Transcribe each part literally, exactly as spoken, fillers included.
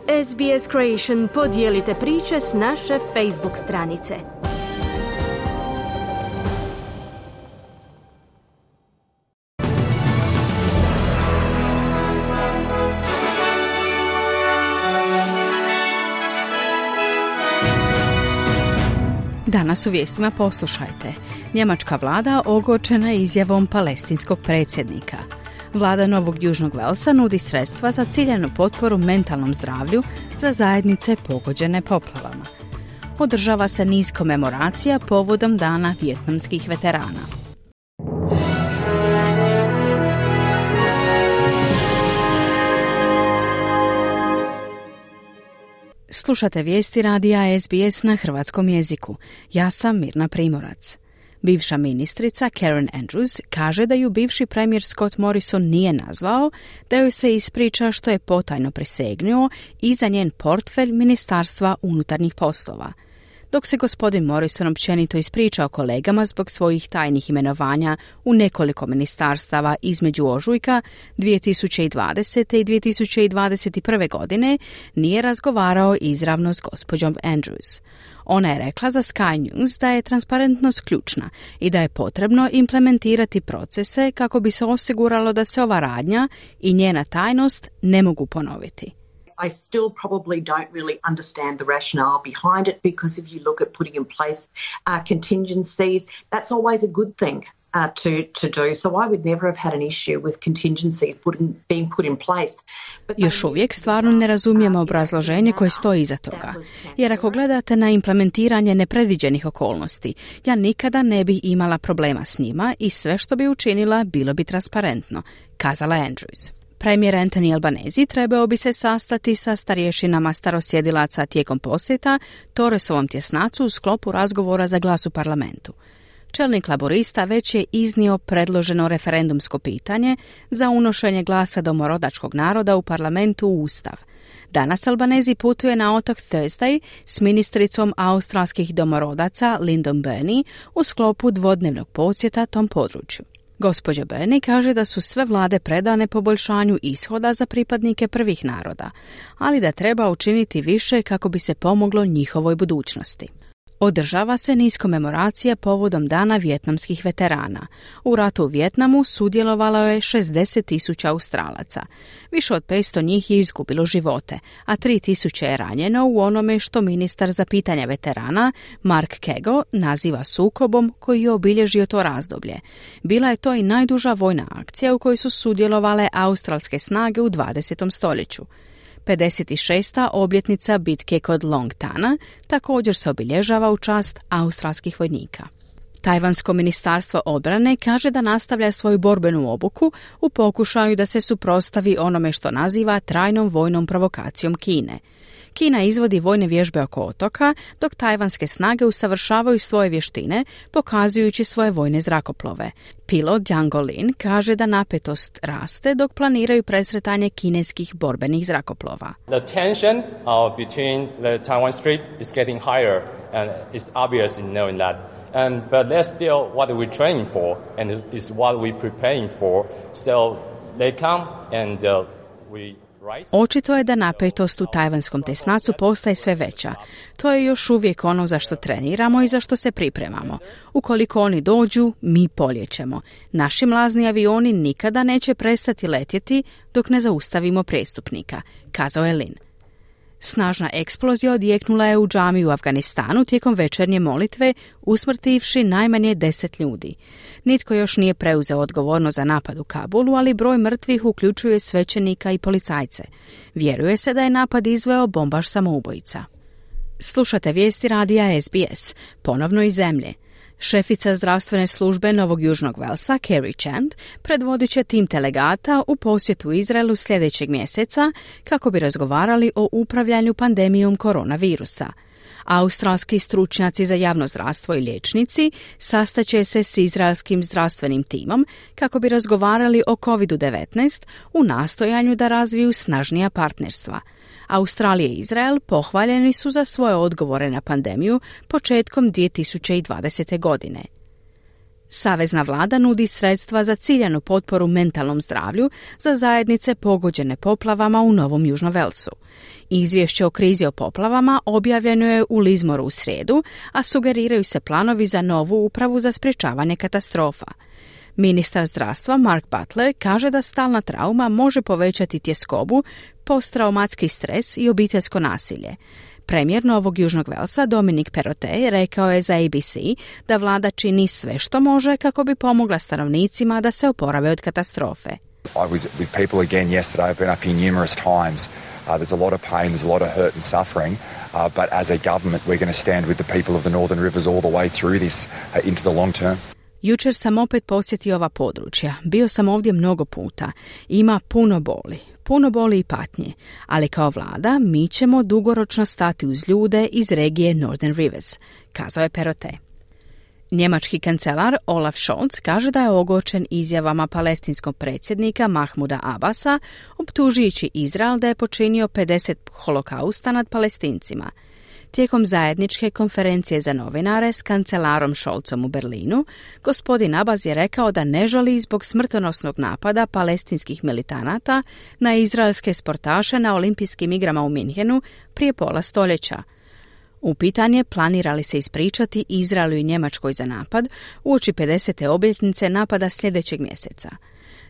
S B S Creation podijelite priče s naše Facebook stranice. Danas u vijestima poslušajte. Njemačka vlada ogorčena izjavom palestinskog predsjednika. Vlada Novog Južnog Velsa nudi sredstva za ciljanu potporu mentalnom zdravlju za zajednice pogođene poplavama. Održava se niz komemoracija povodom Dana vijetnamskih veterana. Slušate vijesti radija S B S na hrvatskom jeziku. Ja sam Mirna Primorac. Bivša ministrica Karen Andrews kaže da ju bivši premijer Scott Morrison nije nazvao, da joj se ispriča što je potajno prisegnuo i za njen portfelj Ministarstva unutarnjih poslova. Dok se gospodin Morrison općenito ispričao kolegama zbog svojih tajnih imenovanja u nekoliko ministarstava između ožujka dvije tisuće dvadesete i dvije tisuće dvadeset prve. godine, nije razgovarao izravno s gospođom Andrews. Ona je rekla za Sky News da je transparentnost ključna i da je potrebno implementirati procese kako bi se osiguralo da se ova radnja i njena tajnost ne mogu ponoviti. I still probably don't really understand the rationale behind it, because if you look at putting in place uh, contingencies, that's always a good thing uh, to, to do. So I would never have had an issue with contingencies put in, being put in place. But Još uvijek stvarno ne razumijemo obrazloženje koje stoji iza toga. Jer ako gledate na implementiranje nepredviđenih okolnosti, ja nikada ne bi imala problema s njima i sve što bi učinila bilo bi transparentno, kazala Andrews. Premijer Anthony Albanese trebao bi se sastati sa starješinama starosjedilaca tijekom posjeta Torresovom tjesnacu u sklopu razgovora za glas u parlamentu. Čelnik laborista već je iznio predloženo referendumsko pitanje za unošenje glasa domorodačkog naroda u parlamentu u Ustav. Danas Albanese putuje na otok Thursday s ministricom australskih domorodaca Lyndon Burney u sklopu dvodnevnog posjeta tom području. Gospođa Burney kaže da su sve vlade predane poboljšanju ishoda za pripadnike prvih naroda, ali da treba učiniti više kako bi se pomoglo njihovoj budućnosti. Održava se niz komemoracija povodom Dana vijetnamskih veterana. U ratu u Vijetnamu sudjelovalo je šezdeset tisuća Australaca. Više od petsto njih je izgubilo živote, a tri tisuće je ranjeno u onome što ministar za pitanja veterana Mark Kego naziva sukobom koji je obilježio to razdoblje. Bila je to i najduža vojna akcija u kojoj su sudjelovale australske snage u dvadesetom stoljeću. pedeset šesta obljetnica bitke kod Long Tana također se obilježava u čast australskih vojnika. Tajvansko ministarstvo obrane kaže da nastavlja svoju borbenu obuku u pokušaju da se suprotstavi onome što naziva trajnom vojnom provokacijom Kine. Kina izvodi vojne vježbe oko otoka, dok tajvanske snage usavršavaju svoje vještine, pokazujući svoje vojne zrakoplove. Pilot Yang Lin kaže da napetost raste dok planiraju presretanje kineskih borbenih zrakoplova. The tension uh, between the Taiwan Strait is getting higher, and it's obvious in knowing that. And, but that's still what we're training for, and it's what we're preparing for. So they come and uh, we... Očito je da napetost u tajvanskom tesnacu postaje sve veća. To je još uvijek ono za što treniramo i za što se pripremamo. Ukoliko oni dođu, mi poljećemo. Naši mlazni avioni nikada neće prestati letjeti dok ne zaustavimo prijestupnika, kazao je Lin. Snažna eksplozija odjeknula je u džamiji u Afganistanu tijekom večernje molitve, usmrtivši najmanje deset ljudi. Nitko još nije preuzeo odgovornost za napad u Kabulu, ali broj mrtvih uključuje svećenika i policajce. Vjeruje se da je napad izveo bombaš samoubojica. Slušate vijesti radija S B S, ponovno iz zemlje. Šefica zdravstvene službe Novog Južnog Velsa, Kerry Chant, predvodit će tim delegata u posjetu Izraelu sljedećeg mjeseca kako bi razgovarali o upravljanju pandemijom koronavirusa. Australski stručnjaci za javno zdravstvo i liječnici sastaće se s izraelskim zdravstvenim timom kako bi razgovarali o kovid devetnaest u nastojanju da razviju snažnija partnerstva. Australija i Izrael pohvaljeni su za svoje odgovore na pandemiju početkom dvije tisuće dvadesete. godine. Savezna vlada nudi sredstva za ciljanu potporu mentalnom zdravlju za zajednice pogođene poplavama u Novom Južnom Velsu. Izvješće o krizi o poplavama objavljeno je u Lismoru u srijedu, a sugeriraju se planovi za novu upravu za sprječavanje katastrofa. Ministar zdravstva Mark Butler kaže da stalna trauma može povećati tjeskobu, posttraumatski stres i obiteljsko nasilje. Premijer Novog Južnog Velsa Dominic Perrottet rekao je za A B C da vlada čini sve što može kako bi pomogla stanovnicima da se oporave od katastrofe. I was with people again yesterday. I've been up here numerous times. Uh, there's a lot of pain, there's a lot of hurt and suffering, uh, but as a government we're going to stand with the people of the Northern Rivers all the way through this uh, into the long term. Jučer sam opet posjetio ova područja. Bio sam ovdje mnogo puta. Ima puno boli. Puno boli i patnje. Ali kao vlada mi ćemo dugoročno stati uz ljude iz regije Northern Rivers, kazao je Perrottet. Njemački kancelar Olaf Scholz kaže da je ogorčen izjavama palestinskog predsjednika Mahmuda Abasa, optužujući Izrael da je počinio pedeset holokausta nad Palestincima. Tijekom zajedničke konferencije za novinare s kancelarom Scholzom u Berlinu, gospodin Abbas je rekao da ne žali zbog smrtonosnog napada palestinskih militanata na izraelske sportaše na olimpijskim igrama u Minhenu prije pola stoljeća. Upitan je planira li se ispričati Izraelu i Njemačkoj za napad uoči pedesete obljetnice napada sljedećeg mjeseca.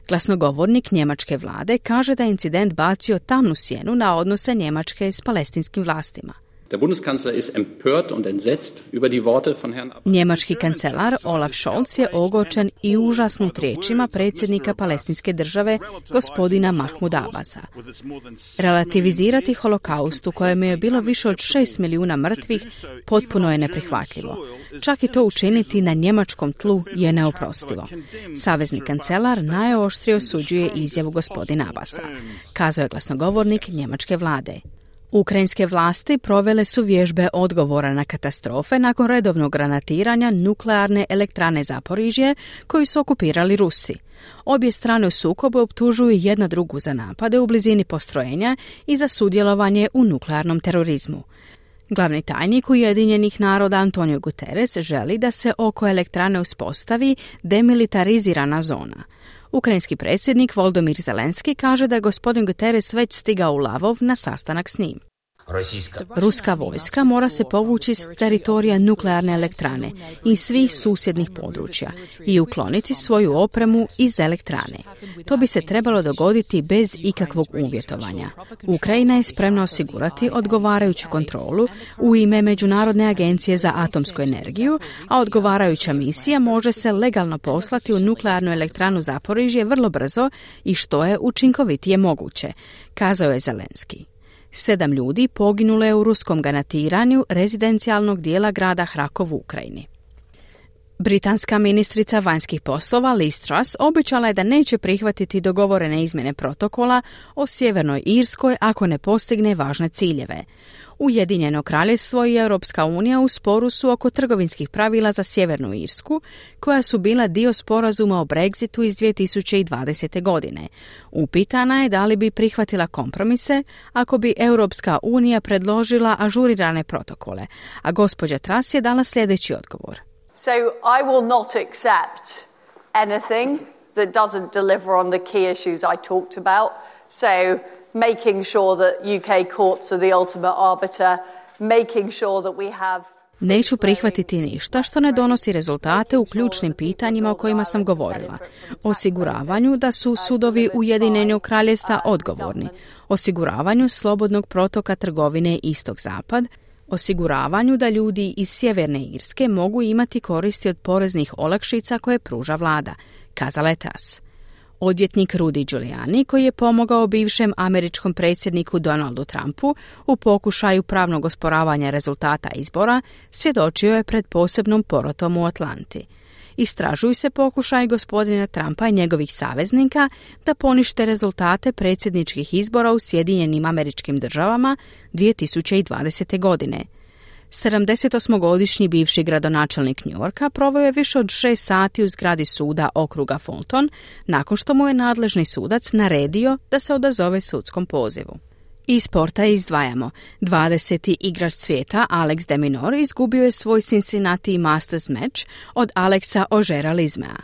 Glasnogovornik njemačke vlade kaže da je incident bacio tamnu sjenu na odnose Njemačke s palestinskim vlastima. Der Bundeskanzler ist empört und entsetzt über die Worte von Herrn Abbas. Njemački kancelar Olaf Scholz je ogorčen i užasnut riječima predsjednika palestinske države gospodina Mahmuda Abasa. Relativizirati holokaust u kojem je bilo više od šest milijuna mrtvih potpuno je neprihvatljivo. Čak i to učiniti na njemačkom tlu je neoprostivo. Savezni kancelar najoštrije osuđuje izjavu gospodina Abasa, kazao je glasnogovornik njemačke vlade. Ukrajinske vlasti provele su vježbe odgovora na katastrofe nakon redovnog granatiranja nuklearne elektrane Zaporižje koju su okupirali Rusi. Obje strane u sukobu optužuju jedna drugu za napade u blizini postrojenja i za sudjelovanje u nuklearnom terorizmu. Glavni tajnik Ujedinjenih naroda Antonio Guterres želi da se oko elektrane uspostavi demilitarizirana zona. Ukrajinski predsjednik Volodymyr Zelenski kaže da je gospodin Guterres već stigao u Lavov na sastanak s njim. Ruska vojska mora se povući s teritorija nuklearne elektrane i svih susjednih područja i ukloniti svoju opremu iz elektrane. To bi se trebalo dogoditi bez ikakvog uvjetovanja. Ukrajina je spremna osigurati odgovarajuću kontrolu u ime Međunarodne agencije za atomsku energiju, a odgovarajuća misija može se legalno poslati u nuklearnu elektranu Zaporižje vrlo brzo i što je učinkovitije moguće, kazao je Zelenski. Sedam ljudi poginulo je u ruskom granatiranju rezidencijalnog dijela grada Hrakov u Ukrajini. Britanska ministrica vanjskih poslova Liz Truss obećala je da neće prihvatiti dogovorene izmjene protokola o Sjevernoj Irskoj ako ne postigne važne ciljeve. Ujedinjeno kraljevstvo i Europska unija u sporu su oko trgovinskih pravila za Sjevernu Irsku, koja su bila dio sporazuma o Brexitu iz dvije tisuće dvadesete. godine. Upitana je da li bi prihvatila kompromise ako bi Europska unija predložila ažurirane protokole, a gospođa Truss je dala sljedeći odgovor. So I will not accept anything that doesn't deliver on the key issues I talked about. So making sure that U K courts are the ultimate arbiter, making sure that we have... Neću prihvatiti ništa što ne donosi rezultate u ključnim pitanjima o kojima sam govorila. Osiguravanju da su sudovi Ujedinjenog kraljevstva odgovorni, osiguravanju slobodnog protoka trgovine istok-zapad, osiguravanju da ljudi iz Sjeverne Irske mogu imati koristi od poreznih olakšica koje pruža vlada, kazala je Truss. Odvjetnik Rudy Giuliani, koji je pomogao bivšem američkom predsjedniku Donaldu Trumpu u pokušaju pravnog osporavanja rezultata izbora, svjedočio je pred posebnom porotom u Atlanti. Istražuju se pokušaj gospodina Trumpa i njegovih saveznika da ponište rezultate predsjedničkih izbora u Sjedinjenim Američkim Državama dvije tisuće dvadesete. godine. sedamdesetosmogodišnji bivši gradonačelnik New Yorka proveo je više od šest sati u zgradi suda okruga Fulton nakon što mu je nadležni sudac naredio da se odazove sudskom pozivu. Iz sporta izdvajamo. dvadeseti igrač svijeta Alex de Minaur izgubio je svoj Cincinnati Masters meč od Alexa Ojera-Lismea.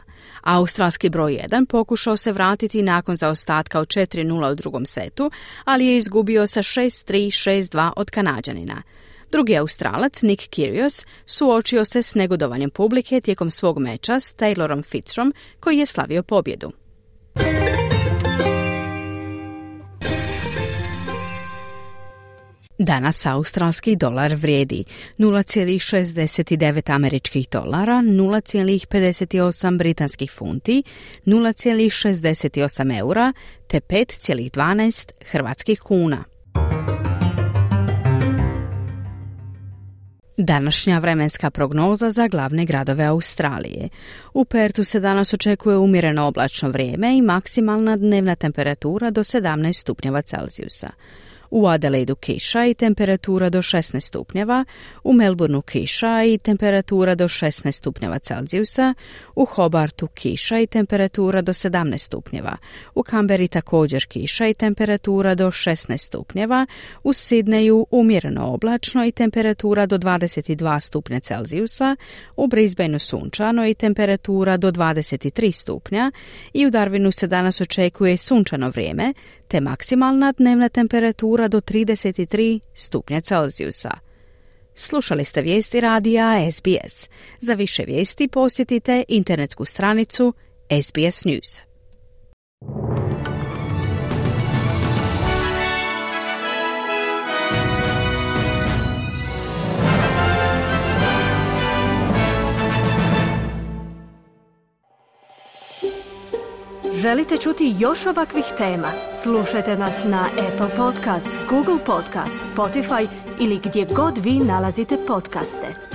Australski broj jedan pokušao se vratiti nakon zaostatka od četiri nula u drugom setu, ali je izgubio sa šest tri šest dva od Kanađanina. Drugi Australac, Nick Kyrgios, suočio se s negodovanjem publike tijekom svog meča s Taylorom Fitzrom, koji je slavio pobjedu. Danas australski dolar vrijedi nula zarez šezdeset devet američkih dolara, nula zarez pedeset osam britanskih funti, nula zarez šezdeset osam eura te pet zarez dvanaest hrvatskih kuna. Današnja vremenska prognoza za glavne gradove Australije. U Pertu se danas očekuje umjereno oblačno vrijeme i maksimalna dnevna temperatura do sedamnaest stupnjeva Celzijusa. U Adelaidu kiša i temperatura do šesnaest stupnjeva, u Melbourneu kiša i temperatura do šesnaest stupnjeva Celzijusa, u Hobartu kiša i temperatura do sedamnaest stupnjeva, u Canberri također kiša i temperatura do šesnaest stupnjeva, u Sidneju umjereno oblačno i temperatura do dvadeset dva stupnja Celzijusa, u Brisbaneu sunčano i temperatura do dvadeset tri stupnja i u Darwinu se danas očekuje sunčano vrijeme te maksimalna dnevna temperatura do trideset tri stupnja Celzijusa. Slušali ste vijesti radija S B S. Za više vijesti posjetite internetsku stranicu S B S News. Želite čuti još ovakvih tema? Slušajte nas na Apple Podcast, Google Podcast, Spotify ili gdje god vi nalazite podcaste.